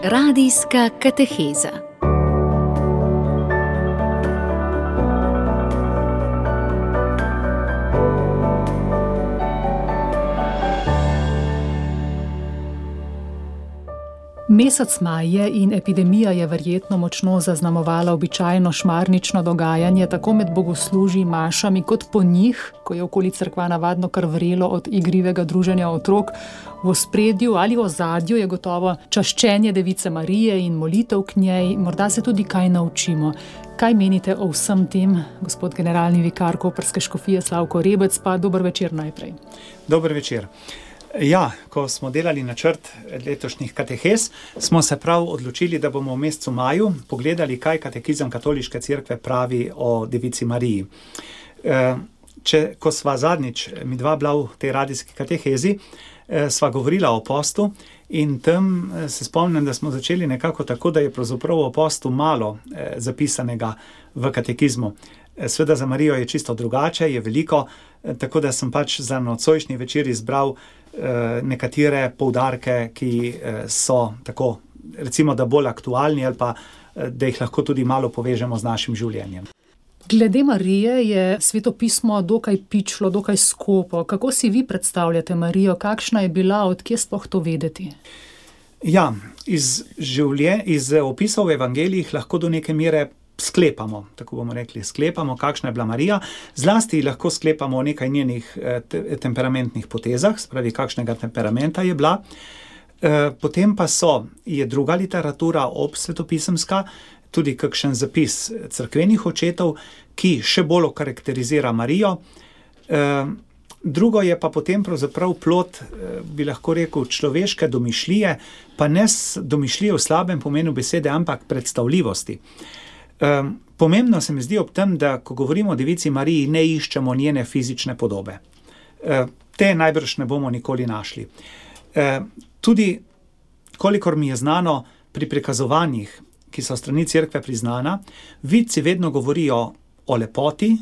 Radijska kateheza. Mesec maj je in epidemija je verjetno močno zaznamovala običajno šmarnično dogajanje tako med bogoslužji, mašami, kot po njih, ko je okoli cerkva navadno kar vrelo od igrivega druženja otrok. V ospredju ali ozadju je gotovo čaščenje Device Marije in molitev k njej, morda se tudi kaj naučimo. Kaj menite o vsem tem, gospod generalni vikar koprske škofije Slavko Rebec, pa dober večer najprej. Dober večer. Ja, ko smo delali načrt letošnjih katehez, smo se prav odločili, da bomo v mesecu maju pogledali, kaj katekizem Katoliške cerkve pravi o Devici Mariji. Ko sva zadnjič midva bila v tej radijski katehezi, sva govorila o postu in tam se spomnim, da smo začeli nekako tako, da je pravzaprav o postu malo zapisanega v katekizmu. Sveda za Marijo je čisto drugače, je veliko, tako da sem pač za nocojšnji večer izbral nekatere poudarke, ki so tako, recimo, da bolj aktualni ali pa, da jih lahko tudi malo povežemo z našim življenjem. Glede Marije je Sveto pismo dokaj pičlo, dokaj skopo. Kako si vi predstavljate Marijo? Kakšna je bila, odkje sploh to vedeti? Ja, iz opisov v evangelijih lahko do neke mere sklepamo, tako bomo rekli, kakšna je bila Marija, zlasti lahko sklepamo o nekaj njenih temperamentnih potezah, spravi kakšnega temperamenta je bila. Potem pa je druga literatura svetopisemska, tudi kakšen zapis cerkvenih očetov, ki še bolj okarakterizira Marijo. Drugo je pa potem pravzaprav plod, bi lahko rekel, človeške domišljije, pa ne domišljije v slabem pomenu besede, ampak predstavljivosti. Pomembno se mi zdi ob tem, da ko govorimo o Devici Mariji, ne iščemo njene fizične podobe. Te najbrž ne bomo nikoli našli. Tudi, kolikor mi je znano, pri prikazovanjih, ki so strani cerkve priznana, vidci vedno govorijo o lepoti,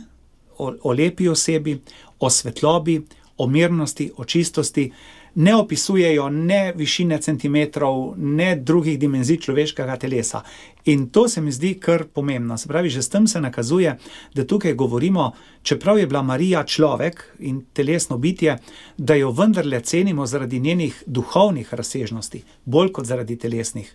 o lepi osebi, o svetlobi, o mirnosti, o čistosti, ne opisujejo ne višine centimetrov, ne drugih dimenzij človeškega telesa. In to se mi zdi kar pomembno. Se pravi, že s tem se nakazuje, da tukaj govorimo, čeprav je bila Marija človek in telesno bitje, da jo vendarle cenimo zaradi njenih duhovnih razsežnosti, bolj kot zaradi telesnih.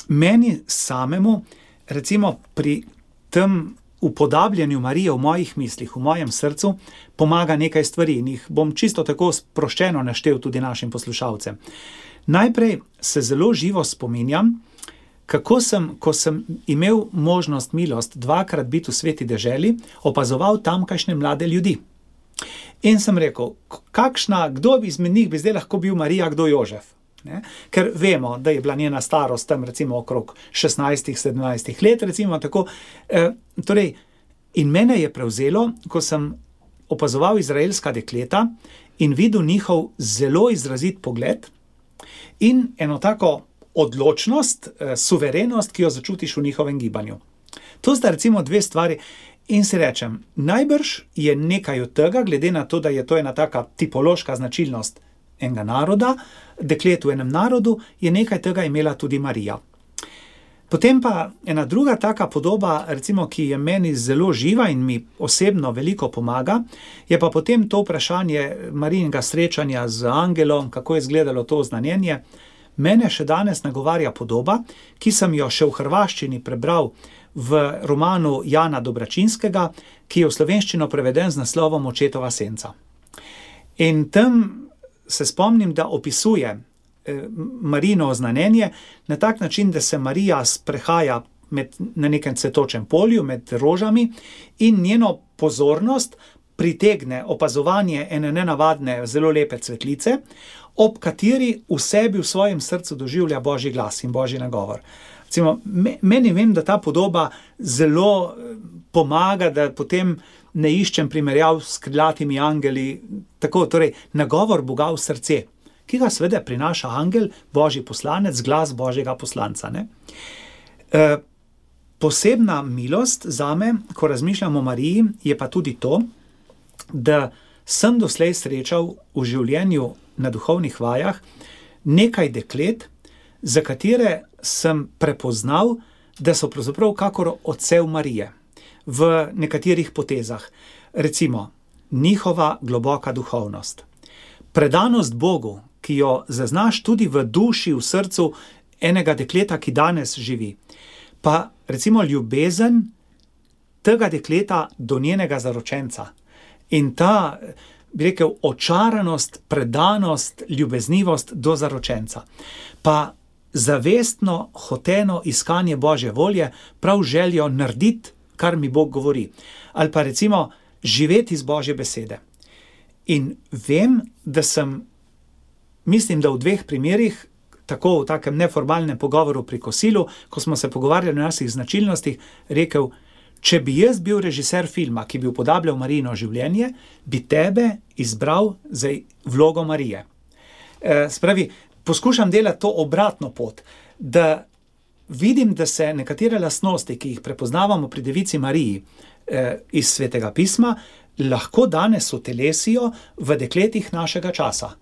Meni samemu, recimo pri tem upodabljanju Marije v mojih mislih, v mojem srcu, pomaga nekaj stvari in jih bom čisto tako sproščeno naštel tudi našim poslušalcem. Najprej se zelo živo spominjam, kako sem, ko sem imel možnost, milost dvakrat biti v Sveti deželi, opazoval tamkajšnje mlade ljudi. In sem rekel, kdo izmed njih bi zdaj lahko bil Marija, kdo Jožef? Ne? Ker vemo, da je bila njena starost tam recimo okrog 16-17 let, recimo tako. In mene je prevzelo, ko sem opazoval izraelska dekleta in videl njihov zelo izrazit pogled in eno tako odločnost, suverenost, ki jo začutiš v njihovem gibanju. To sta recimo dve stvari in si rečem, najbrž je nekaj od tega, glede na to, da je to ena taka tipološka značilnost enega naroda, deklet v enem narodu, je nekaj tega imela tudi Marija. Potem pa ena druga taka podoba, recimo, ki je meni zelo živa in mi osebno veliko pomaga, je pa potem to vprašanje Marijinega srečanja z angelom, kako je izgledalo to oznanjenje. Mene še danes nagovarja podoba, ki sem jo še v hrvaščini prebral v romanu Jana Dobračinskega, ki je v slovenščino preveden z naslovom Očetova senca. In tam se spomnim, da opisuje Marijino oznanjenje na tak način, da se Marija sprehaja na nekem cvetočem polju med rožami in njeno pozornost pritegne opazovanje ene nenavadne, zelo lepe cvetlice, ob kateri v sebi, v svojem srcu doživlja Božji glas in Božji nagovor. Recimo, meni vem, da ta podoba zelo pomaga, da potem ne iščem primerjav s krilatimi angeli, tako, torej, nagovor Boga v srce, ki ga seveda prinaša angel, Božji poslanec, glas Božjega poslanca. Ne? Posebna milost zame, ko razmišljam o Mariji, je pa tudi to, da sem doslej srečal v življenju na duhovnih vajah nekaj deklet, za katere sem prepoznal, da so pravzaprav kakor odsev Marije v nekaterih potezah. Recimo, njihova globoka duhovnost, predanost Bogu, ki jo zaznaš tudi v duši, v srcu enega dekleta, ki danes živi. Pa recimo ljubezen tega dekleta do njenega zaročenca. In ta, bi rekel, očaranost, predanost, ljubeznivost do zaročenca. Pa zavestno, hoteno iskanje Božje volje, prav željo narediti, kar mi Bog govori. Ali pa recimo živeti iz Božje besede. In vem, da mislim, da v 2 primerih, tako v takem neformalnem pogovoru pri kosilu, ko smo se pogovarjali o naših značilnostih, rekel, če bi jaz bil režiser filma, ki bi upodabljal Marijino življenje, bi tebe izbral za vlogo Marije. Spravi, poskušam delati to obratno pot, da vidim, da se nekatere lastnosti, ki jih prepoznavamo pri Devici Mariji iz Svetega pisma, lahko danes utelesijo v dekletih našega časa.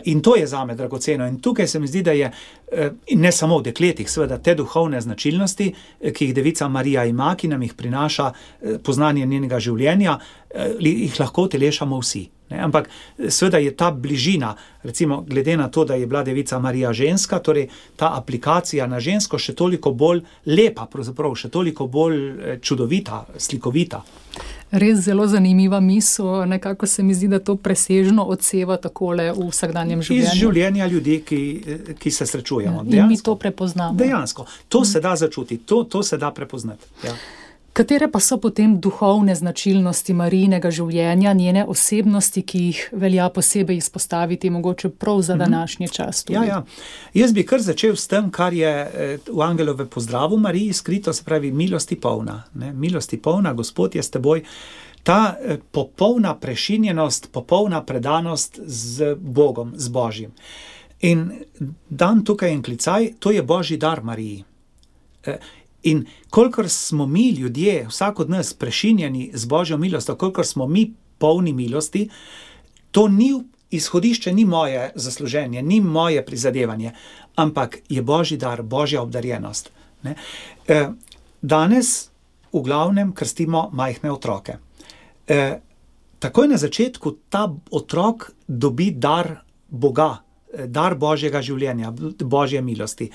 In to je zame dragoceno. In tukaj se mi zdi, da je, ne samo v dekletih, seveda te duhovne značilnosti, ki jih Devica Marija ima, ki nam jih prinaša poznanje njenega življenja, jih lahko utelešamo vsi. Ne? Ampak seveda je ta bližina, recimo glede na to, da je bila Devica Marija ženska, torej ta aplikacija na žensko še toliko bolj lepa, pravzaprav še toliko bolj čudovita, slikovita. Res zelo zanimiva misel, nekako se mi zdi, da to presežno odseva takole v vsakdanjem življenju. Iz življenja ljudi, ki se srečujemo. In mi to prepoznamo. Dejansko. To se da začutiti, to se da prepoznati. Ja. Katere pa so potem duhovne značilnosti Marijinega življenja, njene osebnosti, ki jih velja posebej izpostaviti, mogoče prav za današnji čas tudi? Ja. Jaz bi kar začel s tem, kar je v Angelove pozdravu Mariji skrito, se pravi milosti polna. Ne? Milosti polna, Gospod je s teboj. Ta popolna prešinjenost, popolna predanost z Bogom, z Božjim. In dan tukaj en klicaj, to je Božji dar Mariji. In kolikor smo mi ljudje, vsak od nas prešinjeni z Božjo milostjo, kolikor smo mi polni milosti, to ni izhodišče, ni moje zasluženje, ni moje prizadevanje, ampak je Božji dar, Božja obdarjenost. Ne? Danes v glavnem krstimo majhne otroke. Takoj na začetku ta otrok dobi dar Boga, dar Božjega življenja, Božje milosti.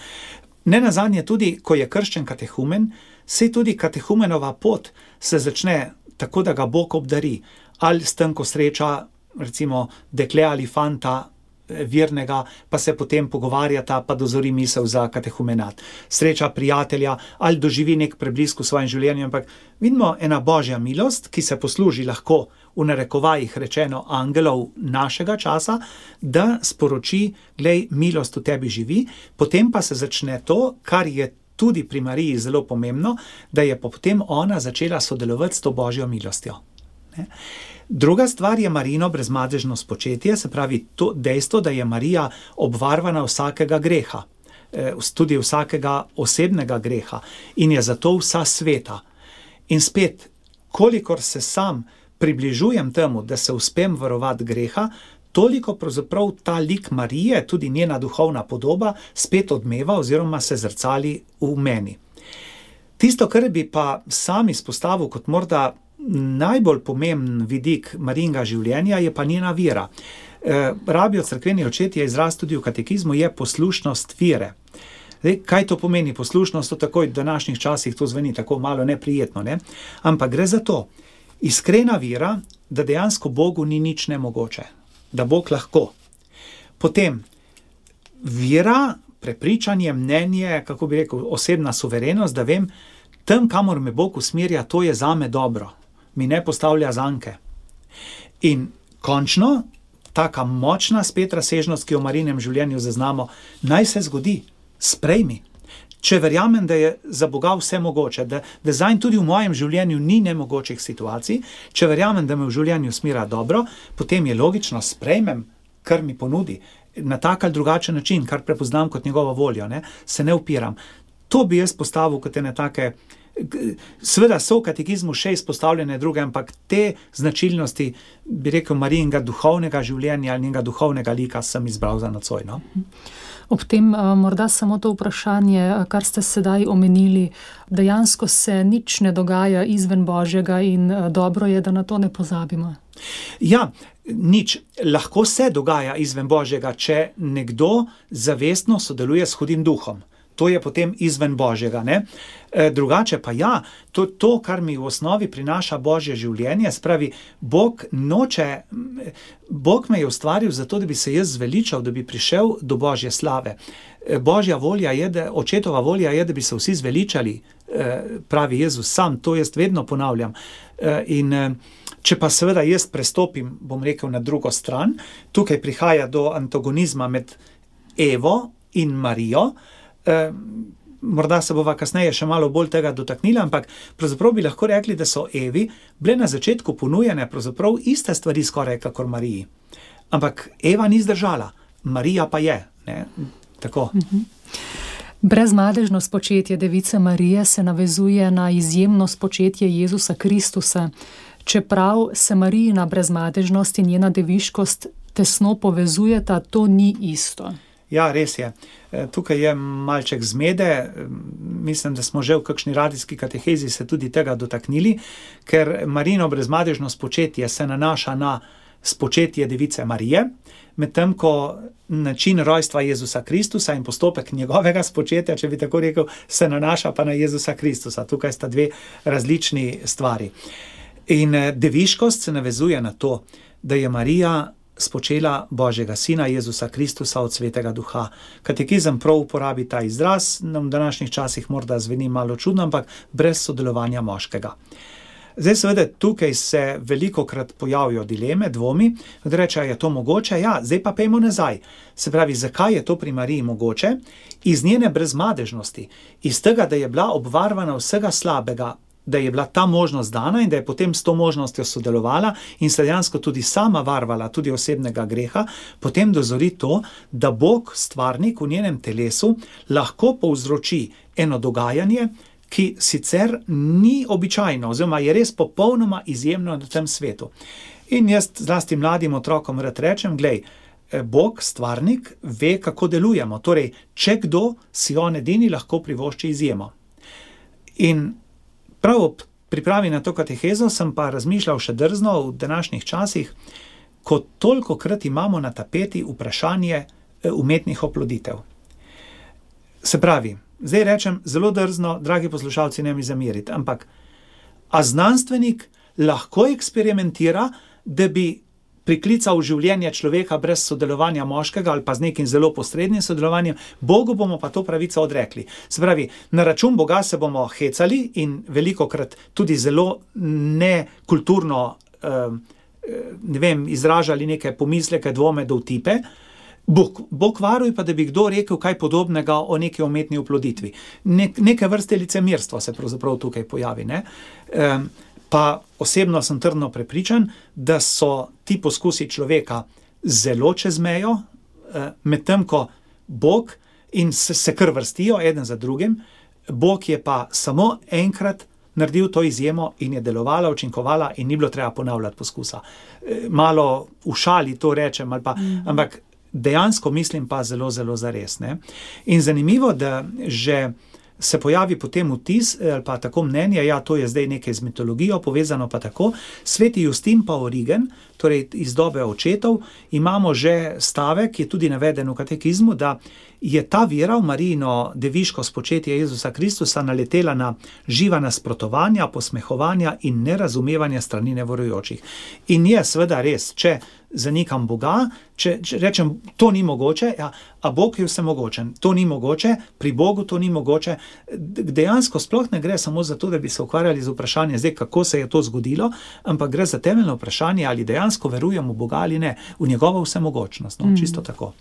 Nenazadnje tudi, ko je krščen katehumen, se tudi katehumenova pot se začne tako, da ga Bog obdari. Ali s tem, ko sreča recimo dekle ali fanta vernega, pa se potem pogovarjata, pa dozori misel za katehumenat. Sreča prijatelja ali doživi nek preblisk v svojem življenju, ampak vidimo ena Božja milost, ki se posluži lahko v narekovajih rečeno angelov našega časa, da sporoči, glej, milost v tebi živi, potem pa se začne to, kar je tudi pri Mariji zelo pomembno, da je potem ona začela sodelovati s to Božjo milostjo. Ne? Druga stvar je Marijino brezmadežno spočetje, se pravi to dejstvo, da je Marija obvarvana vsakega greha, tudi vsakega osebnega greha in je zato vsa sveta. In spet, kolikor se sam približujem temu, da se uspem varovati greha, toliko pravzaprav ta lik Marije, tudi njena duhovna podoba, spet odmeva oziroma se zrcali v meni. Tisto, kar bi pa sam izpostavil kot morda najbolj pomemben vidik Marijinega življenja, je pa njena vera. Rabijo cerkveni očetje izraz tudi v katekizmu, je poslušnost vere. Zdaj, kaj to pomeni poslušnost? To takoj v današnjih časih to zveni tako malo neprijetno, ne? Ampak gre za to, iskrena vera, da dejansko Bogu ni nič nemogoče, da Bog lahko. Potem vera, prepričanje, mnenje, kako bi rekel, osebna suverenost, da vem, tam, kamor me Bog usmerja, to je zame dobro, mi ne postavlja zanke. In končno, taka močna spet razsežnost, ki jo v Marijinem življenju zaznamo, naj se zgodi, sprejmi. Če verjamem, da je za Boga vse mogoče, da zanj tudi v mojem življenju ni nemogočih situacij, če verjamem, da me v življenju smira dobro, potem je logično, sprejmem, kar mi ponudi, na tak ali drugačen način, kar prepoznam kot njegovo voljo, ne? Se ne upiram. To bi jaz postavil kot ene take Seveda so v katekizmu še izpostavljene druge, ampak te značilnosti, bi rekel, Marijinega duhovnega življenja ali njenega duhovnega lika sem izbral za nocoj. No? Ob tem morda samo to vprašanje, kar ste sedaj omenili, dejansko se nič ne dogaja izven Božjega in dobro je, da na to ne pozabimo. Ja, nič. Lahko se dogaja izven Božjega, če nekdo zavestno sodeluje s hudim duhom. To je potem izven Božjega, ne? Drugače pa ja, to, kar mi v osnovi prinaša Božje življenje, spravi, Bog me je ustvaril zato, da bi se jaz zveličal, da bi prišel do Božje slave. Božja volja je, očetova volja je, da bi se vsi zveličali, pravi Jezus sam, to jaz vedno ponavljam. Če pa seveda jaz prestopim, bom rekel, na drugo stran, tukaj prihaja do antagonizma med Evo in Marijo. Morda se bova kasneje še malo bolj tega dotaknila, ampak pravzaprav bi lahko rekli, da so Evi bile na začetku ponujene pravzaprav iste stvari skoraj kakor Mariji. Ampak Eva ni zdržala, Marija pa je. Ne? Tako. Brezmadežno spočetje device Marije se navezuje na izjemno spočetje Jezusa Kristusa. Čeprav se Marijina brezmadežnost in njena deviškost tesno povezujeta, to ni isto. Ja, res je. Tukaj je malček zmede, mislim, da smo že v kakšni radijski katehezi se tudi tega dotaknili, ker Marijino brezmadežno spočetje se nanaša na spočetje device Marije, medtem ko način rojstva Jezusa Kristusa in postopek njegovega spočetja, če bi tako rekel, se nanaša pa na Jezusa Kristusa. Tukaj sta dve različni stvari. In deviškost se navezuje na to, da je Marija spočela Božjega sina Jezusa Kristusa od Svetega Duha. Katekizem prav uporabi ta izraz, nam v današnjih časih morda zveni malo čudno, ampak brez sodelovanja moškega. Zdaj seveda tukaj se velikokrat pojavijo dileme, dvomi, da reče, je to mogoče? Ja, zdaj pa pejmo nazaj. Se pravi, zakaj je to pri Mariji mogoče? Iz njene brezmadežnosti, iz tega, da je bila obvarovana vsega slabega, da je bila ta možnost dana in da je potem s to možnostjo sodelovala in se dejansko tudi sama varovala tudi osebnega greha, potem dozori to, da Bog, stvarnik v njenem telesu, lahko povzroči eno dogajanje, ki sicer ni običajno, oziroma je res popolnoma izjemno na tem svetu. In jaz zlasti mladim otrokom rad rečem, glej, Bog, stvarnik, ve, kako delujemo. Torej, če kdo, si on edini lahko privošči izjemo. In prav ob pripravi na to katehezo sem pa razmišljal še drzno v današnjih časih, ko tolikokrat imamo na tapeti vprašanje umetnih oploditev. Se pravi, zdaj rečem zelo drzno, dragi poslušalci, ne mi zameriti, ampak a znanstvenik lahko eksperimentira, da bi priklical v življenje človeka brez sodelovanja moškega ali pa z nekim zelo posrednim sodelovanjem, Bogu bomo pa to pravico odrekli. Se pravi, na račun Boga se bomo hecali in velikokrat tudi zelo nekulturno izražali neke pomisleke, dvome, dovtipe. Bog varuj pa, da bi kdo rekel kaj podobnega o neki umetni oploditvi. Neke vrste licemirstvo se pravzaprav tukaj pojavi, ne? Pa osebno sem trdno prepričan, da so ti poskusi človeka zelo čez mejo, medtem ko Bog in se kar vrstijo eden za drugim, Bog je pa samo enkrat naredil to izjemo in je delovala, učinkovala in ni bilo treba ponavljati poskusa. Malo v šali to rečem, ali pa, ampak dejansko mislim pa zelo, zelo zares, ne? In zanimivo, da že se pojavi potem vtis, ali pa tako mnenje, ja, to je zdaj nekaj z mitologijo povezano pa tako. Sveti Justin pa Origen, torej iz dobe očetov, imamo že stavek, ki je tudi naveden v katekizmu, da je ta vera v Marijino deviško spočetje Jezusa Kristusa naletela na živa nasprotovanja, posmehovanja in nerazumevanja strani neverujočih. In je seveda res, če zanikam Boga, če rečem, to ni mogoče, ja, a Bog je vsemogočen, to ni mogoče, pri Bogu to ni mogoče, dejansko sploh ne gre samo za to, da bi se ukvarjali z vprašanjem, zdaj, kako se je to zgodilo, ampak gre za temeljno vprašanje, ali dejansko verujemo v Boga ali ne, v njegovo vsemogočnost, no, čisto tako.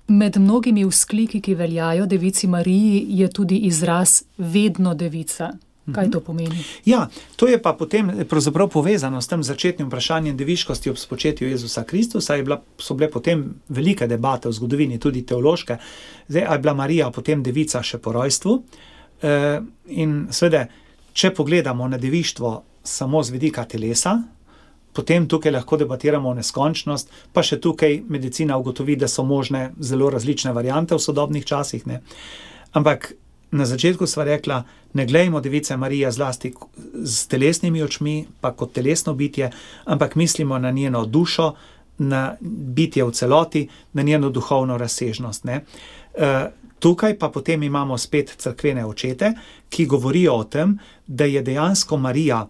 Med mnogimi vzkliki, ki veljajo devici Mariji, je tudi izraz vedno devica. Kaj to pomeni? Ja, to je pa potem pravzaprav povezano s tem začetnim vprašanjem deviškosti ob spočetju Jezusa Kristusa. So bile potem velike debate v zgodovini, tudi teološke. Zdaj, a je bila Marija potem devica še po rojstvu? In seveda, če pogledamo na devištvo samo z vidika telesa, potem tukaj lahko debatiramo o neskončnost, pa še tukaj medicina ugotovi, da so možne zelo različne variante v sodobnih časih, ne. Ampak na začetku sva rekla, ne glejmo Device Marije zlasti s telesnimi očmi, pa kot telesno bitje, ampak mislimo na njeno dušo, na bitje v celoti, na njeno duhovno razsežnost, ne. Tukaj pa potem imamo spet cerkvene očete, ki govorijo o tem, da je dejansko Marija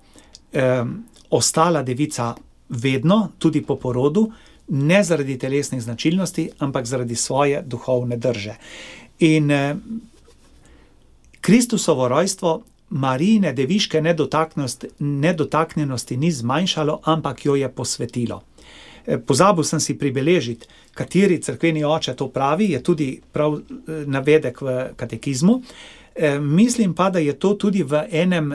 ostala devica vedno, tudi po porodu, ne zaradi telesnih značilnosti, ampak zaradi svoje duhovne drže. In Kristusovo rojstvo Marijine deviške nedotaknjenosti ni zmanjšalo, ampak jo je posvetilo. Pozabil sem si pribeležiti, kateri cerkveni oče to pravi, je tudi prav navedek v katekizmu. Mislim pa, da je to tudi v enem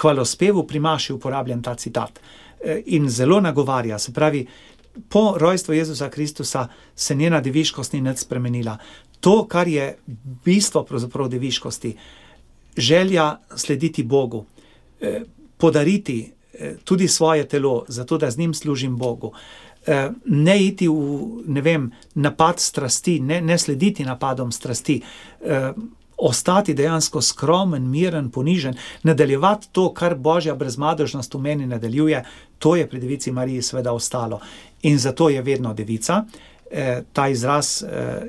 hvalospevu pri maši uporabljen ta citat. In zelo nagovarja, se pravi, po rojstvu Jezusa Kristusa se njena deviškost ni nič spremenila. To, kar je bistvo pravzaprav deviškosti, želja slediti Bogu, podariti tudi svoje telo, zato da z njim služim Bogu, ne iti v, napad strasti, ne slediti napadom strasti, ostati dejansko skromen, miren, ponižen, nadaljevati to, kar Božja brezmadežnost v meni nadaljuje, to je pri Devici Mariji seveda ostalo. In zato je vedno devica, ta izraz,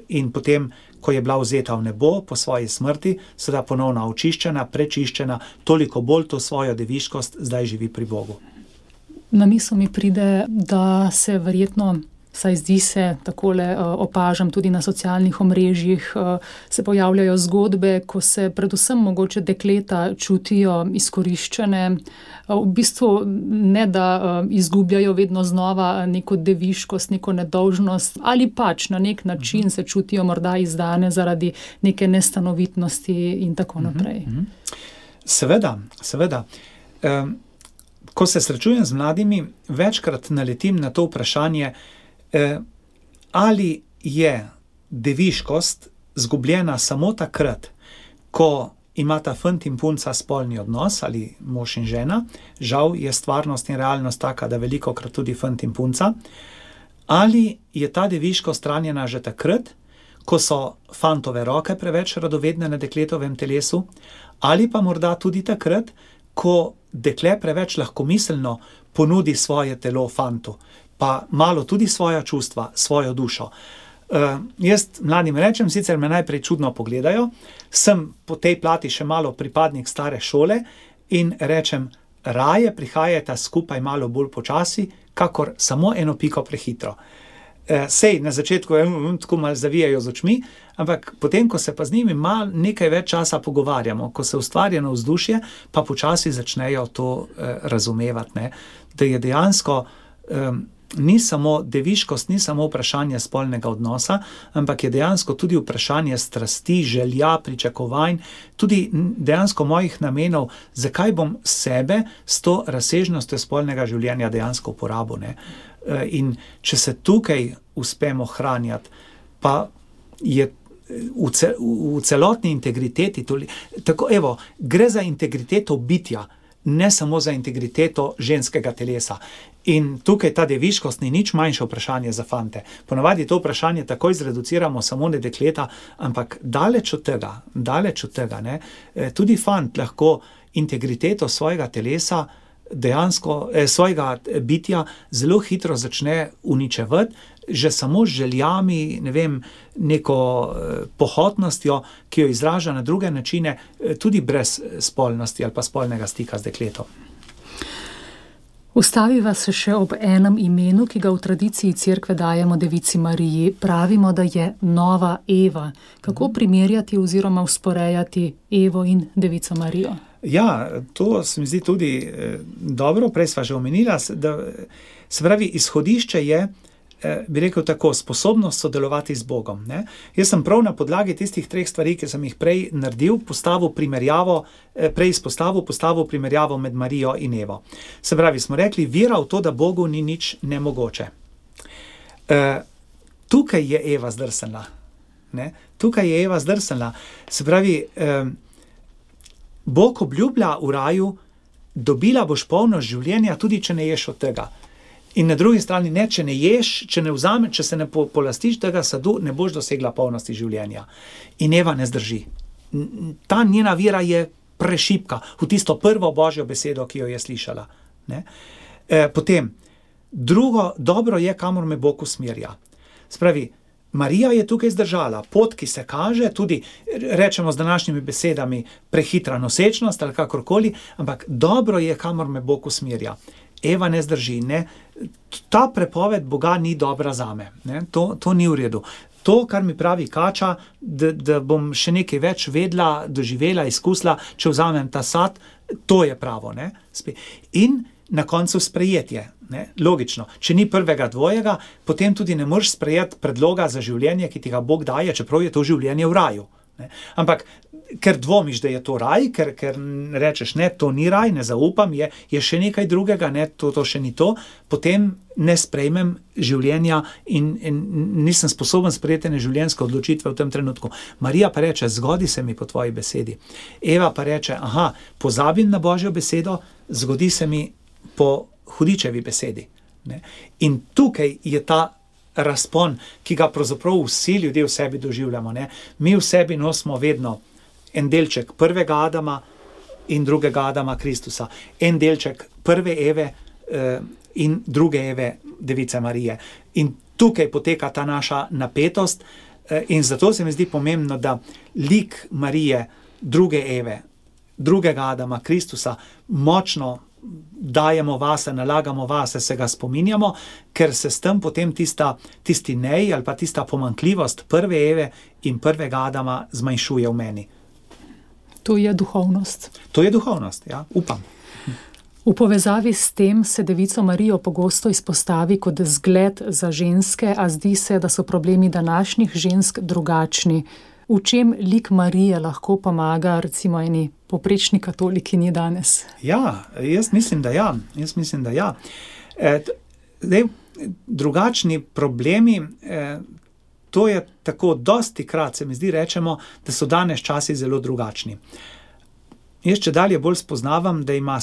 in potem, ko je bila vzeta v nebo po svoji smrti, seveda ponovno očiščena, prečiščena, toliko bolj to svojo deviškost zdaj živi pri Bogu. Na misel mi pride, da se verjetno, saj zdi se, takole opažam tudi na socialnih omrežjih, se pojavljajo zgodbe, ko se predvsem mogoče dekleta čutijo izkoriščene, v bistvu ne da izgubljajo vedno znova neko deviškost, neko nedolžnost, ali pač na nek način se čutijo morda izdane zaradi neke nestanovitnosti in tako naprej. Seveda. Ko se srečujem z mladimi, večkrat naletim na to vprašanje, ali je deviškost zgubljena samo takrat, ko imata fant in punca spolni odnos, ali mož in žena, žal je stvarnost in realnost taka, da velikokrat tudi fant in punca, ali je ta deviškost ranjena že takrat, ko so fantove roke preveč radovedne na dekletovem telesu, ali pa morda tudi takrat, ko dekle preveč lahkomiselno ponudi svoje telo fantu, pa malo tudi svoja čustva, svojo dušo. Jaz mladim rečem, sicer me najprej čudno pogledajo, sem po tej plati še malo pripadnik stare šole in rečem, raje prihajajta skupaj malo bolj počasi, kakor samo eno piko prehitro. Sej na začetku tako malo zavijajo z očmi, ampak potem, ko se pa z njimi malo nekaj več časa pogovarjamo, ko se ustvarjeno vzdušje, pa počasi začnejo to razumevati, ne? Da je dejansko ni samo deviškost, ni samo vprašanje spolnega odnosa, ampak je dejansko tudi vprašanje strasti, želja, pričakovanj, tudi dejansko mojih namenov, zakaj bom sebe s to razsežnostjo spolnega življenja dejansko uporabil, ne? In če se tukaj uspemo hranjati, pa je v celotni integriteti, gre za integriteto bitja, ne samo za integriteto ženskega telesa. In tukaj ta deviškost ni nič manjše vprašanje za fante. Ponavadi to vprašanje takoj zreduciramo samo na dekleta, ampak daleč od tega, ne? Tudi fant lahko integriteto svojega telesa, dejansko svojega bitja zelo hitro začne uničevati, že samo z željami, neko pohotnostjo, ki jo izraža na druge načine, tudi brez spolnosti ali pa spolnega stika z dekletom. Ustaviva se še ob enem imenu, ki ga v tradiciji cerkve dajemo Devici Mariji. Pravimo, da je nova Eva. Kako primerjati oziroma usporejati Evo in Devico Marijo? Ja, to se mi zdi tudi dobro, prej sva že omenila, da se pravi, izhodišče je, bi rekel tako, sposobnost sodelovati z Bogom, ne? Jaz sem prav na podlagi tistih 3 stvari, ki sem jih prej naredil, postavil primerjavo med Marijo in Evo. Se pravi, smo rekli, vera v to, da Bogu ni nič nemogoče. Tukaj je Eva zdrsnila, ne? Se pravi, Bog obljublja v raju, dobila boš polnost življenja, tudi če ne ješ od tega. In na drugi strani ne, če ne ješ, če ne vzameš, če se ne polastiš tega sadu, ne boš dosegla polnosti življenja. In Eva ne zdrži. Ta njena vera je prešibka v tisto prvo Božjo besedo, ki jo je slišala. Ne? Potem, drugo, dobro je, kamor me Bog usmerja. Spravi, Marija je tukaj zdržala, pot, ki se kaže, tudi rečemo z današnjimi besedami prehitra nosečnost ali kakorkoli, ampak dobro je, kamor me Bog usmerja. Eva ne zdrži, ne? Ta prepoved Boga ni dobra zame, ne? To ni v redu. To, kar mi pravi Kača, da bom še nekaj več vedela, doživela, izkusila, če vzamem ta sad, to je pravo. Ne? In na koncu sprejetje. Ne? Logično. Če ni prvega dvojega, potem tudi ne moreš sprejeti predloga za življenje, ki ti ga Bog daje, čeprav je to življenje v raju. Ne? Ampak ker dvomiš, da je to raj, ker rečeš, ne, to ni raj, ne zaupam, je še nekaj drugega, ne, to še ni to, potem ne sprejmem življenja in nisem sposoben sprejeti življenjske odločitve v tem trenutku. Marija pa reče, zgodi se mi po tvoji besedi. Eva pa reče, pozabim na Božjo besedo, zgodi se mi po hudičevi besedi. Ne? In tukaj je ta razpon, ki ga pravzaprav vsi ljudje v sebi doživljamo. Ne? Mi v sebi nosimo vedno en delček prvega Adama in drugega Adama Kristusa. En delček prve Eve in druge Eve, Device Marije. In tukaj poteka ta naša napetost in zato se mi zdi pomembno, da lik Marije, druge Eve, drugega Adama Kristusa močno dajemo vase, nalagamo vase, se ga spominjamo, ker se s tem potem tisti nej ali pa tista pomanjkljivost prve Eve in prvega Adama zmanjšuje v meni. To je duhovnost. To je duhovnost, ja, upam. V povezavi s tem se Devico Marijo pogosto izpostavi kot zgled za ženske, a zdi se, da so problemi današnjih žensk drugačni. V čem lik Marije lahko pomaga recimo eni poprečni katolikinji danes? Ja, jaz mislim, da ja. Drugačni problemi, to je tako, dostikrat se mi zdi, rečemo, da so danes časi zelo drugačni. Jaz čedalje bolj spoznavam, da ima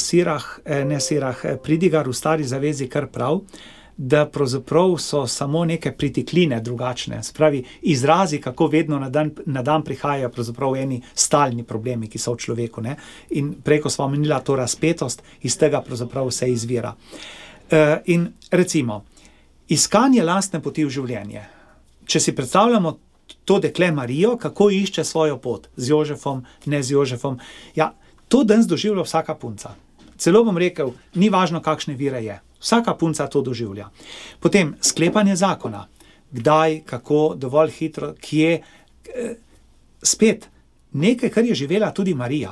Pridigar v Stari zavezi kar prav, da pravzaprav so samo neke pritikline drugačne. Spravi, izrazi, kako vedno na dan prihajajo pravzaprav eni stalni problemi, ki so v človeku. Ne? In preko smo omenila to razpetost, iz tega pravzaprav vse izvira. In recimo, iskanje lastne poti v življenje. Če si predstavljamo to dekle Marijo, kako išče svojo pot, z Jožefom, ne z Jožefom, ja, to danes doživlja vsaka punca. Celo bom rekel, ni važno, kakšne vire je. Vsaka punca to doživlja. Potem sklepanje zakona. Kdaj, kako, dovolj hitro, kje. Spet, nekaj, kar je živela tudi Marija.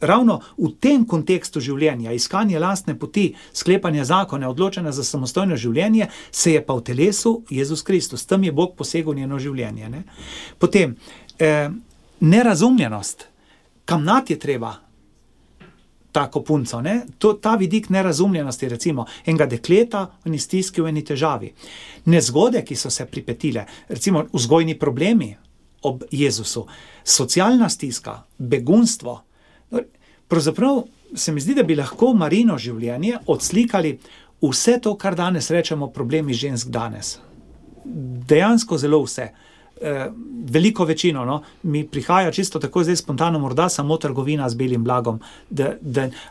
Ravno v tem kontekstu življenja, iskanje lastne poti, sklepanje zakona, odločena za samostojno življenje, se je pa v telesu Jezus Kristus. Tam je Bog posegel njeno življenje. Ne? Potem, nerazumljenost. Kamnati je treba tako punco, ne? Ta vidik nerazumljenosti, recimo, enega dekleta v eni stiski, v eni težavi. Nezgode, ki so se pripetile, recimo vzgojni problemi ob Jezusu, socialna stiska, begunstvo. Pravzaprav se mi zdi, da bi lahko Marino življenje odslikali vse to, kar danes rečemo problemi žensk danes. Dejansko zelo vse. Veliko večino, no, mi prihaja čisto tako zdaj spontano, morda samo trgovina z belim blagom,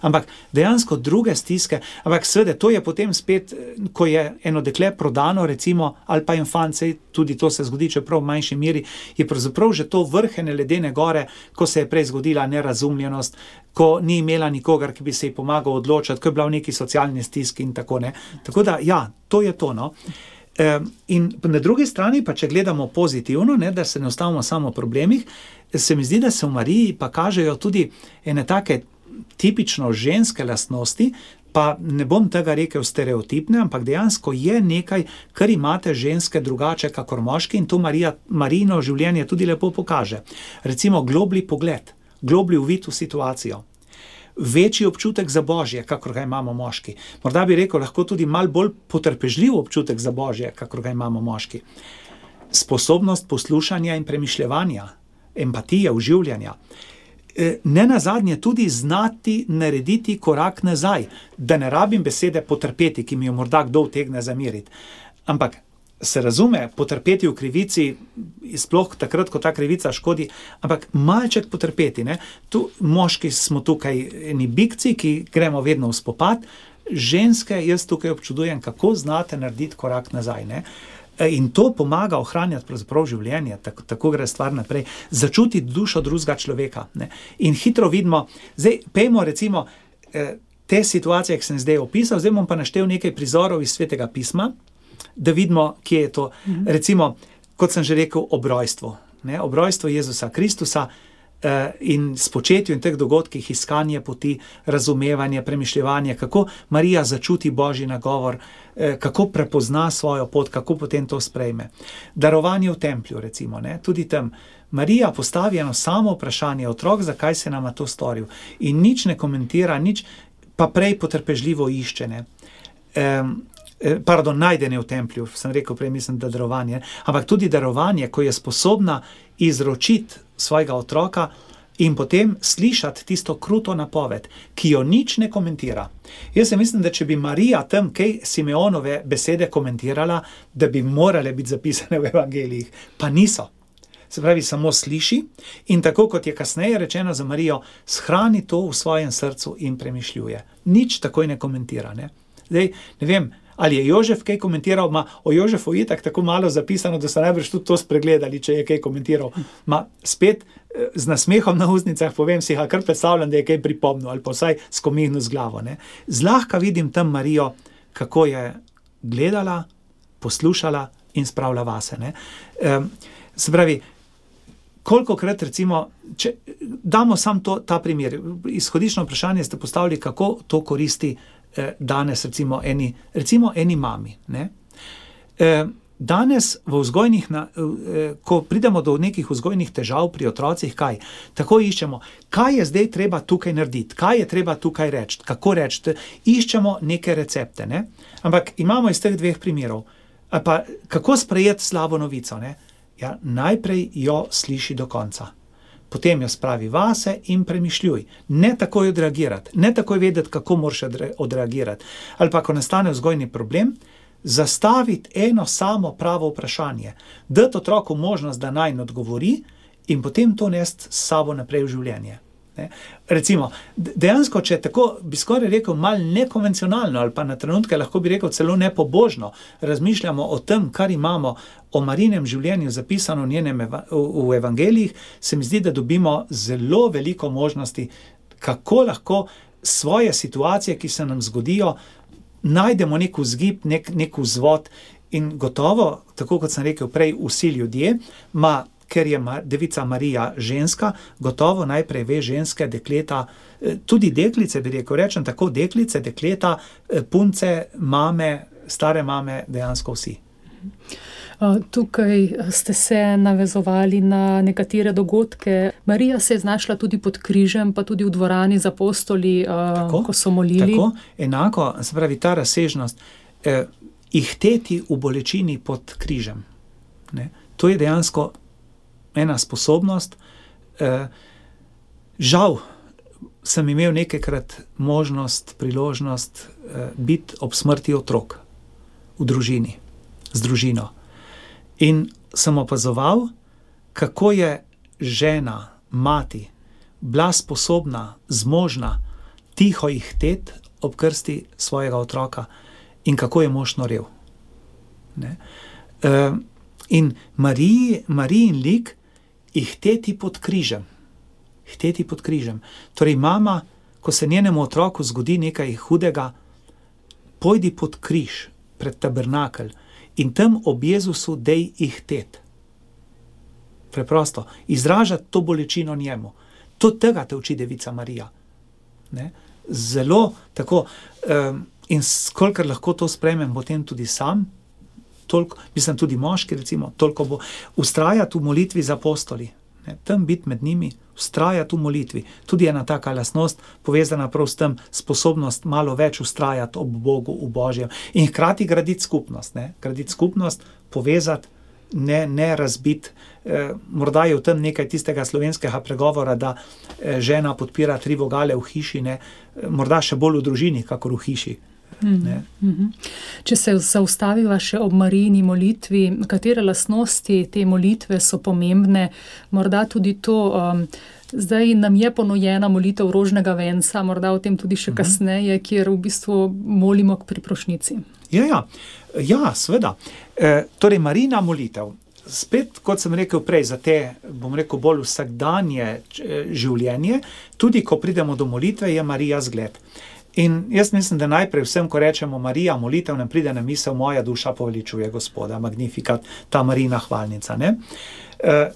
ampak dejansko druge stiske, ampak seveda to je potem spet, ko je eno dekle prodano, recimo, ali pa infant, tudi to se zgodi, čeprav v manjši meri, je pravzaprav že to vrhene ledene gore, ko se je prej zgodila nerazumljenost, ko ni imela nikogar, ki bi se ji pomagal odločati, ko je bila v neki socialni stiski in tako, ne. Tako da, ja, to je to, no. In na drugi strani pa, če gledamo pozitivno, ne, da se ne ostavimo samo v problemih, se mi zdi, da se v Mariji pa kažejo tudi ene take tipično ženske lastnosti, pa ne bom tega rekel stereotipne, ampak dejansko je nekaj, kar imate ženske drugače kakor moški in to Marijino življenje tudi lepo pokaže. Recimo globli pogled, globli uvid v situacijo. Večji občutek za Božje, kakor ga imamo moški. Morda bi rekel, lahko tudi malo bolj potrpežljiv občutek za Božje, kakor ga imamo moški. Sposobnost poslušanja in premišljevanja, empatije, vživljanja. ne nazadnje tudi znati narediti korak nazaj, da ne rabim besede potrpeti, ki mi jo morda kdo utegne zameriti. Ampak se razume, potrpeti v krivici, sploh takrat, ko ta krivica škodi, ampak malček potrpeti. Ne? Tu moški smo tukaj eni bikci, ki gremo vedno v spopad, ženske jaz tukaj občudujem, kako znate narediti korak nazaj. Ne? In to pomaga ohranjati pravzaprav življenje, tako gre stvar naprej, začutiti dušo drugega človeka. Ne? In hitro vidimo, zdaj pejmo recimo te situacije, ki sem zdaj opisal, zdaj bom pa naštel nekaj prizorov iz Svetega pisma, da vidimo, kje je to. Recimo, kot sem že rekel, ob rojstvu. Ne? Ob rojstvu Jezusa Kristusa in spočetju in teh dogodkih, iskanje poti, razumevanje, premišljevanje, kako Marija začuti Božji nagovor, kako prepozna svojo pot, kako potem to sprejme. Darovanje v templju, recimo, ne? Tudi tam Marija postavi eno samo vprašanje, otrok, zakaj se nama to storil, in nič ne komentira, nič, pa prej potrpežljivo išče, ne? Najdene v templju, sem rekel prej, mislim, da darovanje, ampak tudi darovanje, ko je sposobna izročiti svojega otroka in potem slišati tisto kruto napoved, ki jo nič ne komentira. Jaz mislim, da če bi Marija tam kaj Simeonove besede komentirala, da bi morale biti zapisane v evangelijih, pa niso. Se pravi, samo sliši in tako, kot je kasneje rečeno za Marijo, shrani to v svojem srcu in premišljuje. Nič takoj ne komentira. Ne? Zdaj, ne vem, ali je Jožef kaj komentiral, o Jožefu je tako malo zapisano, da so najbrž tudi to spregledali, če je kaj komentiral. Spet z nasmehom na ustnicah povem si, kar predstavljam, da je kaj pripomnil, ali pa vsaj skomihnil z glavo. Ne? Zlahka vidim tam Marijo, kako je gledala, poslušala in spravila vase. Ne? Se pravi, kolikokrat recimo, če damo sam ta primer, izhodično vprašanje ste postavili, kako to koristi danes recimo eni mami. Ne? Danes v vzgojnih, ko pridemo do nekih vzgojnih težav pri otrocih, kaj? Tako iščemo, kaj je zdaj treba tukaj narediti, kaj je treba tukaj reči, kako reči, iščemo neke recepte. Ne? Ampak imamo iz teh dveh primerov. Pa kako sprejeti slabo novico? Ne? Ja, najprej jo sliši do konca. Potem jo spravi vase in premišljuj. Ne takoj odreagirati, ne takoj vedeti, kako moraš odreagirati. Ali pa, ko nastane vzgojni problem, zastaviti eno samo pravo vprašanje, dati otroku možnost, da naj odgovori in potem to nesti s sabo naprej v življenje. Ne? Recimo, dejansko, če tako bi skoraj rekel malo nekonvencionalno ali pa na trenutke lahko bi rekel celo nepobožno, razmišljamo o tem, kar imamo o Marinem življenju zapisano v evangelijih, se mi zdi, da dobimo zelo veliko možnosti, kako lahko svoje situacije, ki se nam zgodijo, najdemo nek vzgib, nek vzvod in gotovo, tako kot sem rekel prej, vsi ljudje, ker je Devica Marija ženska, gotovo najprej ve ženske, dekleta, tudi deklice, bi rekel, rečem tako, deklice, dekleta, punce, mame, stare mame, dejansko vsi. Tukaj ste se navezovali na nekatere dogodke. Marija se je znašla tudi pod križem, pa tudi v dvorani z apostoli, ko so molili. Tako, enako, se pravi, ta razsežnost, ihteti v bolečini pod križem. Ne? To je dejansko ena sposobnost. Žal sem imel nekajkrat možnost, priložnost biti ob smrti otrok v družini, z družino. In sem opazoval, kako je žena, mati, bila sposobna, zmožna, tiho ihtet ob krsti svojega otroka in kako je mož norel. Ne? In Marijin lik ihteti pod križem. Ihteti pod križem. Torej mama, ko se njenemu otroku zgodi nekaj hudega, pojdi pod križ, pred tabernakelj in tam ob Jezusu dej ihtet. Preprosto, izražati to bolečino njemu. To tega te uči Devica Marija. Ne? Zelo tako, in kolikor lahko to sprejmem potem tudi sam, toliko, mislim tudi moški recimo, toliko bo vztrajati v molitvi za apostoli. Ne? Tam biti med njimi, vztrajati v molitvi. Tudi ena taka lastnost povezana prav s tem, sposobnost malo več vztrajati ob Bogu, v Božjem. In hkrati graditi skupnost. Ne? Graditi skupnost, povezati ne razbit. Morda je v tem nekaj tistega slovenskega pregovora, da žena podpira 3 vogale v hiši, ne? Morda še bolj v družini, kakor v hiši. Če se zaustaviva še ob Marijini molitvi, katere lastnosti te molitve so pomembne, morda tudi to, zdaj nam je ponujena molitev rožnega venca, morda o tem tudi še kasneje, kjer v bistvu molimo k priprošnjici. Ja, seveda. Torej, Marijina molitev, spet, kot sem rekel prej, za te, bom rekel, bolj vsakdanje življenje, tudi ko pridemo do molitve, je Marija zgled. In jaz mislim, da najprej vsem, ko rečemo Marija, molitev, nam pride na misel moja duša poveličuje Gospoda, Magnificat, ta Marijina hvalnica, ne?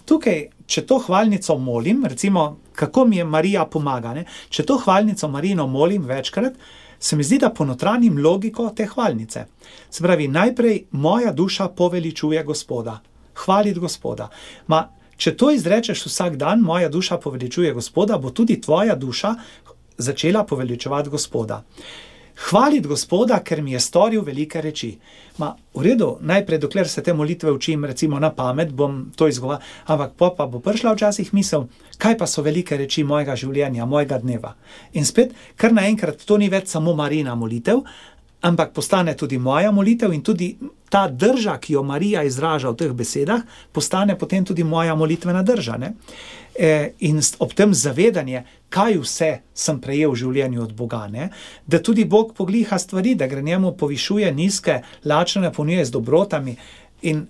Tukaj, če to hvalnico molim, recimo, kako mi je Marija pomaga, ne? Če to hvalnico Marijino molim večkrat, se mi zdi, da ponotranjim logiko te hvalnice. Se pravi, najprej moja duša poveličuje Gospoda, hvaliti Gospoda. Če to izrečeš vsak dan, moja duša poveličuje Gospoda, bo tudi tvoja duša začela poveličevati Gospoda. Hvaliti Gospoda, ker mi je storil velike reči. V redu, najprej, dokler se te molitve učim, recimo na pamet, bom to izgovarjal, ampak pa bo prišla včasih misel, kaj pa so velike reči mojega življenja, mojega dneva. In spet, kar naenkrat, to ni več samo Marijina molitev, ampak postane tudi moja molitev in tudi ta drža, ki jo Marija izraža v teh besedah, postane potem tudi moja molitvena drža, ne? In ob tem zavedanje, kaj vse sem prejel v življenju od Boga, ne? Da tudi Bog pogliha stvari, da gre njemu povišuje nizke, lačne napolnjuje z dobrotami in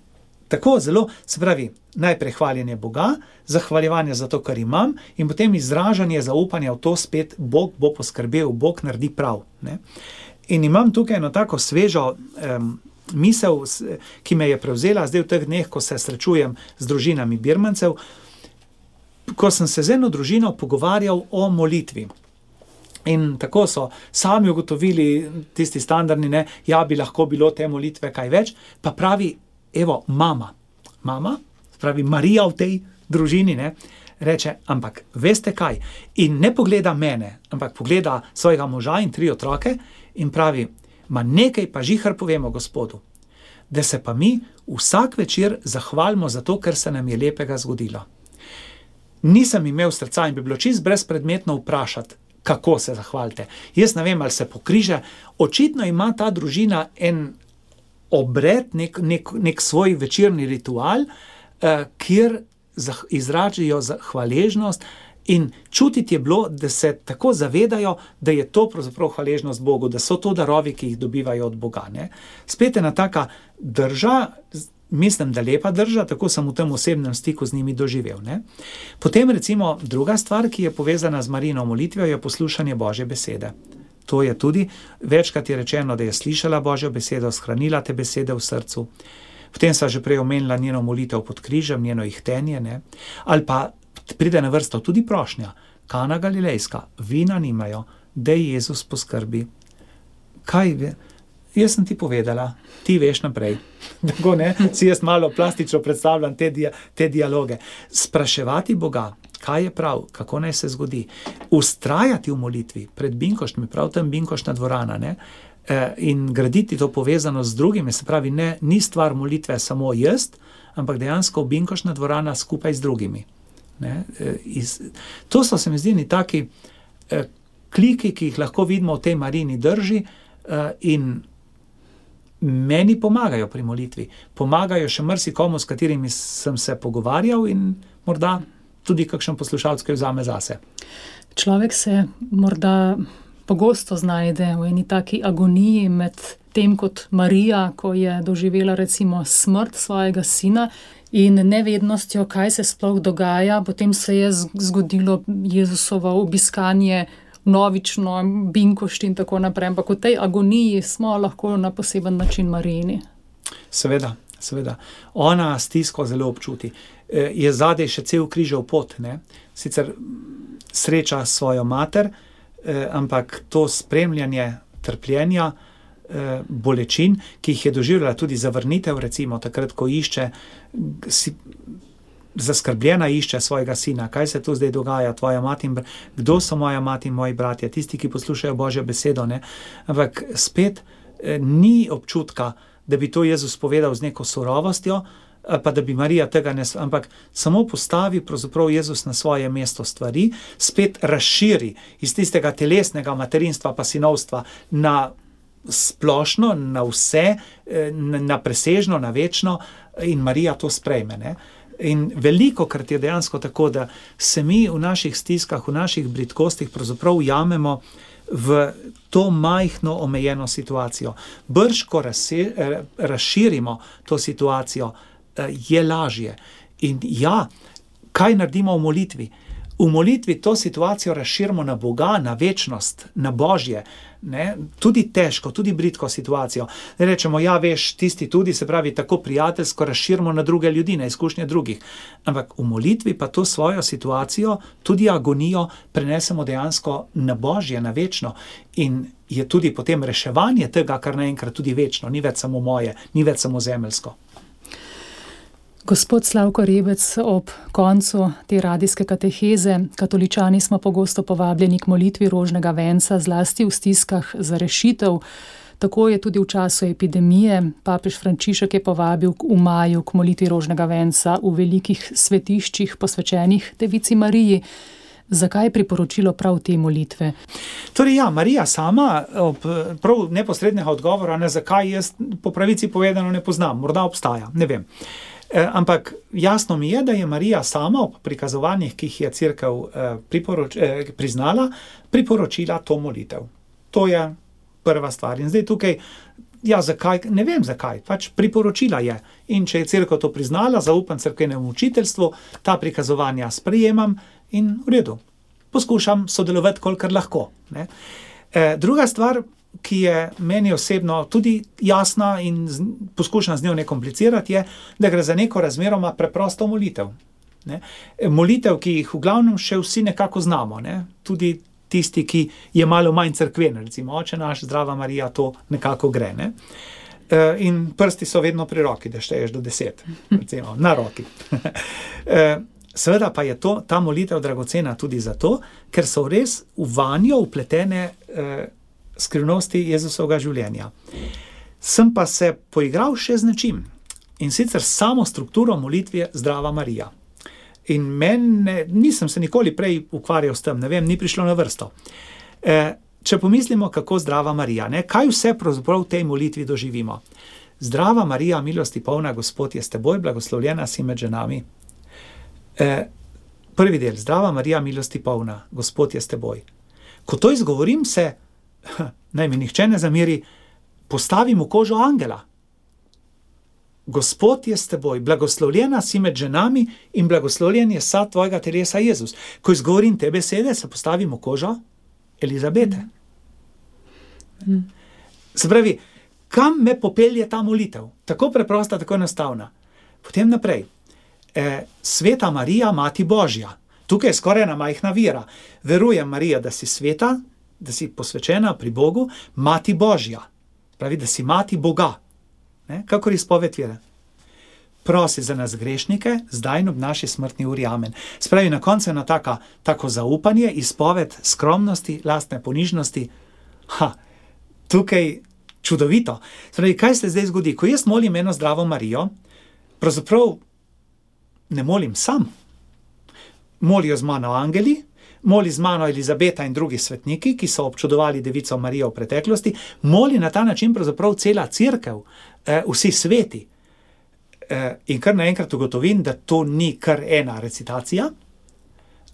tako zelo, se pravi, najprej hvaljenje Boga, zahvaljevanje za to, kar imam in potem izražanje zaupanja v to spet, Bog bo poskrbel, Bog naredi prav, ne? In imam tukaj eno tako svežo misel, ki me je prevzela zdaj v teh dneh, ko se srečujem z družinami Birmancev, ko sem se z eno družino pogovarjal o molitvi. In tako so sami ugotovili, tisti standardni, ne, ja, bi lahko bilo te molitve kaj več, pa pravi, evo, mama, pravi Marija v tej družini, ne, reče, ampak veste kaj, in ne pogleda mene, ampak pogleda svojega moža in 3 otroke in pravi, nekaj pa žihar povemo Gospodu, da se pa mi vsak večer zahvalimo za to, ker se nam je lepega zgodilo. Nisem imel srca in bi bilo čist brezpredmetno vprašati, kako se zahvalite. Jaz ne vem, ali se pokriže. Očitno ima ta družina en obred, nek svoj večerni ritual, kjer izražijo hvaležnost in čutiti je bilo, da se tako zavedajo, da je to pravzaprav hvaležnost Bogu, da so to darovi, ki jih dobivajo od Boga, ne. Spet ena taka drža, mislim, da lepa drža, tako sem v tem osebnem stiku z njimi doživel, ne. Potem recimo druga stvar, ki je povezana z Marijino molitvijo, je poslušanje Božje besede. To je tudi, večkrat je rečeno, da je slišala Božjo besedo, shranila te besede v srcu. Potem sva že prej omenila njeno molitev pod križem, njeno ihtenje, ne. Ali pa pride na vrsto tudi prošnja, Kana Galilejska, vina nimajo, daj Jezus poskrbi. Kaj ve? Jaz sem ti povedala, ti veš naprej. Tako, ne, si jaz malo plastično predstavljam te dialoge. Spraševati Boga, kaj je prav, kako naj se zgodi. Vztrajati v molitvi pred binkoštmi, prav tam binkoštna dvorana, ne, in graditi to povezanost z drugimi, se pravi, ni stvar molitve samo jaz, ampak dejansko binkoštna dvorana skupaj z drugimi. Ne, to so se mi zdi taki kliki, ki jih lahko vidimo v tej Marijini drži in meni pomagajo pri molitvi. Pomagajo še marsikomu, s katerimi sem se pogovarjal in morda tudi kakšen poslušalec, ki vzame zase. Človek se morda pogosto znajde v eni taki agoniji med tem kot Marija, ko je doživela recimo smrt svojega sina in nevednostjo, kaj se sploh dogaja. Potem se je zgodilo Jezusovo obiskanje novično, binkošti in tako naprej. Ampak v tej agoniji smo lahko na poseben način Marijini. Seveda. Ona stisko zelo občuti. Je zadej še cel križev pot, ne? Sicer sreča svojo mater, ampak to spremljanje trpljenja, bolečin, ki jih je doživljala tudi zavrnitev, recimo takrat, ko zaskrbljena išče svojega sina, kaj se tu zdaj dogaja, tvoja mati in kdo so moja mati in moji bratje, tisti, ki poslušajo Božjo besedo, ne? Ampak spet ni občutka, da bi to Jezus povedal z neko surovostjo, pa da bi Marija tega ampak samo postavi pravzaprav Jezus na svoje mesto stvari, spet razširi iz tistega telesnega materinstva pa sinovstva na splošno, na vse, na presežno, na večno, in Marija to sprejme, ne. In velikokrat je dejansko tako, da se mi v naših stiskah, v naših bridkostih pravzaprav ujamemo v to majhno omejeno situacijo. Brž, ko razširimo to situacijo, je lažje. In ja, kaj naredimo v molitvi? V molitvi to situacijo razširimo na Boga, na večnost, na Božje, ne? Tudi težko, tudi bridko situacijo. Ne rečemo, ja, veš, tisti tudi, se pravi, tako prijateljsko razširimo na druge ljudi, na izkušnje drugih. Ampak v molitvi pa to svojo situacijo, tudi agonijo, prenesemo dejansko na Božje, na večno. In je tudi potem reševanje tega, kar naenkrat tudi večno, ni več samo moje, ni več samo zemeljsko. Gospod Slavko Rebec, ob koncu te radijske kateheze katoličani smo pogosto povabljeni k molitvi rožnega venca, zlasti v stiskah za rešitev. Tako je tudi v času epidemije. Papež Frančišek je povabil v maju k molitvi rožnega venca v velikih svetiščih posvečenih Devici Mariji. Zakaj je priporočilo prav te molitve? Torej ja, Marija sama, prav neposrednega odgovora, ne zakaj, jaz po pravici povedano ne poznam, morda obstaja, ne vem. Ampak jasno mi je, da je Marija sama ob prikazovanjih, ki jih je Cerkev priznala, priporočila to molitev. To je prva stvar. In zdaj tukaj, ja, zakaj, ne vem zakaj, pač priporočila je. In če je Cerkev to priznala, zaupam cerkvenemu učiteljstvu, ta prikazovanja sprejemam in v redu. Poskušam sodelovati, kolikor lahko, ne. Druga stvar, ki je meni osebno tudi jasna in poskušam z njo ne komplicirati, je, da gre za neko razmeroma preprosto molitev. Ne? Molitev, ki jih v glavnem še vsi nekako znamo, ne? Tudi tisti, ki je malo manj cerkven, recimo Oče naš, Zdrava Marija, to nekako gre. Ne? In prsti so vedno pri roki, da šteješ do 10, recimo, na roki. Seveda pa je ta molitev dragocena tudi zato, ker so res v vanjo vpletene skrivnosti Jezusovega življenja. Sem pa se poigral še z nečim, in sicer samo strukturo molitve Zdrava Marija. In nisem se nikoli prej ukvarjal s tem, ne vem, ni prišlo na vrsto. Če pomislimo, kako Zdrava Marija, ne, kaj vse pravzaprav v tej molitvi doživimo. Zdrava Marija, milosti polna, Gospod je s teboj, blagoslovljena si med ženami. Prvi del, Zdrava Marija, milosti polna, Gospod je s teboj. Ko to izgovorim, se naj mi nihče ne zameri, postavim v kožo angela. Gospod je s teboj, blagoslovljena si med ženami in blagoslovljen je sad tvojega telesa Jezus. Ko izgovorim te besede, se postavim v kožo Elizabete. Se pravi, kam me popelje ta molitev? Tako preprosta, tako enostavna. Potem naprej. Sveta Marija, Mati Božja. Tukaj je skoraj ena majhna vera. Verujem, Marija, da si sveta, da si posvečena pri Bogu, Mati Božja. Pravi, da si Mati Boga. Ne? Kakor izpoved vere. Prosi za nas grešnike, zdaj in ob naši smrtni uri. Amen. Spravi, na koncu eno tako zaupanje, izpoved skromnosti, lastne ponižnosti. Tukaj čudovito. Spravi, kaj se zdaj zgodi? Ko jaz molim eno Zdravo Marijo, pravzaprav ne molim sam. Molijo z mano angeli, moli z mano Elizabeta in drugi svetniki, ki so občudovali Devico Marijo v preteklosti, moli na ta način pravzaprav cela cerkev, vsi sveti. In kar naenkrat ugotovim, da to ni kar ena recitacija,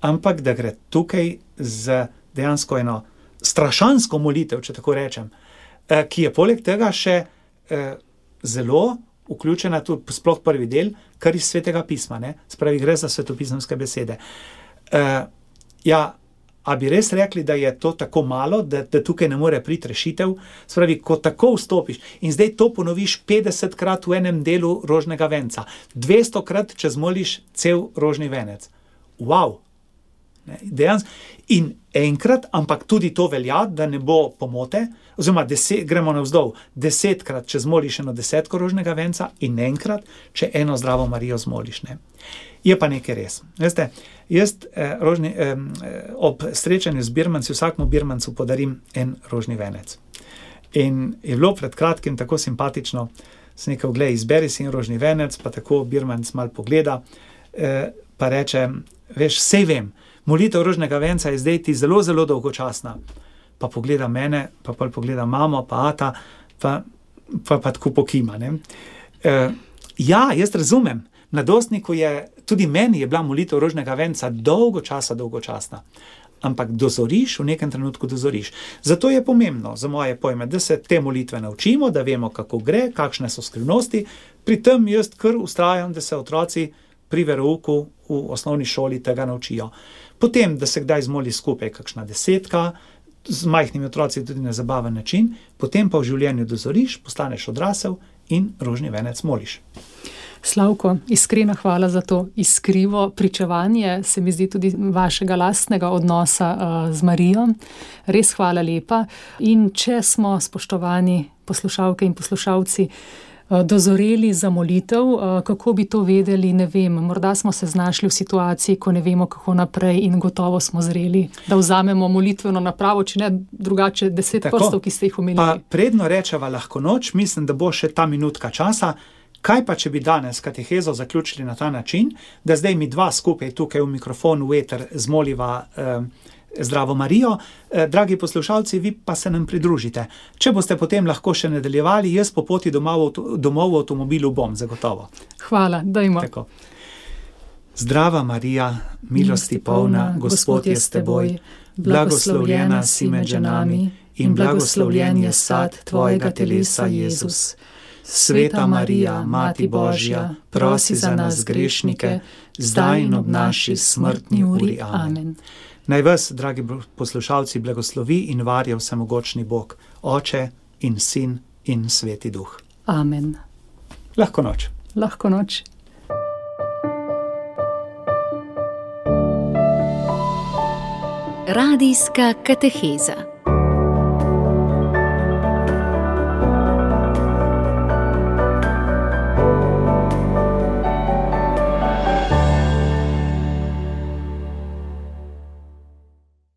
ampak da gre tukaj z dejansko eno strašansko molitev, če tako rečem, ki je poleg tega še zelo vključena tudi sploh prvi del, kar iz Svetega pisma, ne? Spravi, gre za svetopisemske besede. A bi res rekli, da je to tako malo, da tukaj ne more priti rešitev? Spravi, ko tako vstopiš in zdaj to ponoviš 50krat v enem delu rožnega venca, 200krat, če zmoliš cel rožni venec. Wow! In enkrat, ampak tudi to velja, da ne bo pomote, oziroma gremo navzdol, 10krat, če zmoliš eno 10 rožnega venca in enkrat, če eno Zdravo Marijo zmoliš. Ne? Je pa nekaj res. Veste, jaz ob srečanju z birmanci, vsakmu birmancu podarim en rožni venec. In je bilo pred kratkim tako simpatično, sem rekel, glej, izberi si in rožni venec, pa tako Birmanc mal pogleda, pa reče, veš, sej vem, molitev rožnega venca je zdaj ti zelo, zelo dolgočasna. Pa pogleda mene, pa pogleda mamo, pa ata, pa tako pokima, ne. Ja, jaz razumem, mladostniku tudi meni je bila molitev rožnega venca dolgočasna. Ampak dozoriš, v nekem trenutku dozoriš. Zato je pomembno, za moje pojme, da se te molitve naučimo, da vemo, kako gre, kakšne so skrivnosti. Pri tem jaz kar vztrajam, da se otroci pri verouku v osnovni šoli tega naučijo. Potem, da se kdaj zmoli skupaj kakšna 10, z majhnimi otroci tudi na zabaven način, potem pa v življenju dozoriš, postaneš odrasel in rožni venec moliš. Slavko, iskrena hvala za to iskrivo pričevanje, se mi zdi tudi vašega lastnega odnosa z Marijo. Res hvala lepa. In če smo, spoštovani poslušalke in poslušalci, dozoreli za molitev, kako bi to vedeli, ne vem. Morda smo se znašli v situaciji, ko ne vemo, kako naprej in gotovo smo zreli, da vzamemo molitveno napravo, če ne drugače 10 prstov, ki ste jih omenili. Pa predno rečeva lahko noč, mislim, da bo še ta minutka časa. Kaj pa, če bi danes katehezo zaključili na ta način, da zdaj mi dva skupaj tukaj v mikrofon, v eter zmoliva Zdravo Marijo. Dragi poslušalci, vi pa se nam pridružite. Če boste potem lahko še nadaljevali, jaz po poti domov v avtomobilu bom, zagotovo. Hvala, dajmo. Tako. Zdrava Marija, milosti polna, Gospod je s teboj, blagoslovljena si med ženami in blagoslovljen je sad tvojega telesa, Jezus. Sveta Marija, Mati Božja, prosi za nas grešnike, zdaj in ob naši smrtni uri. Amen. Naj vas, dragi poslušalci, blagoslovi in varja vsemogočni Bog, Oče in Sin in Sveti Duh. Amen. Lahko noč. Lahko noč. Radijska kateheza.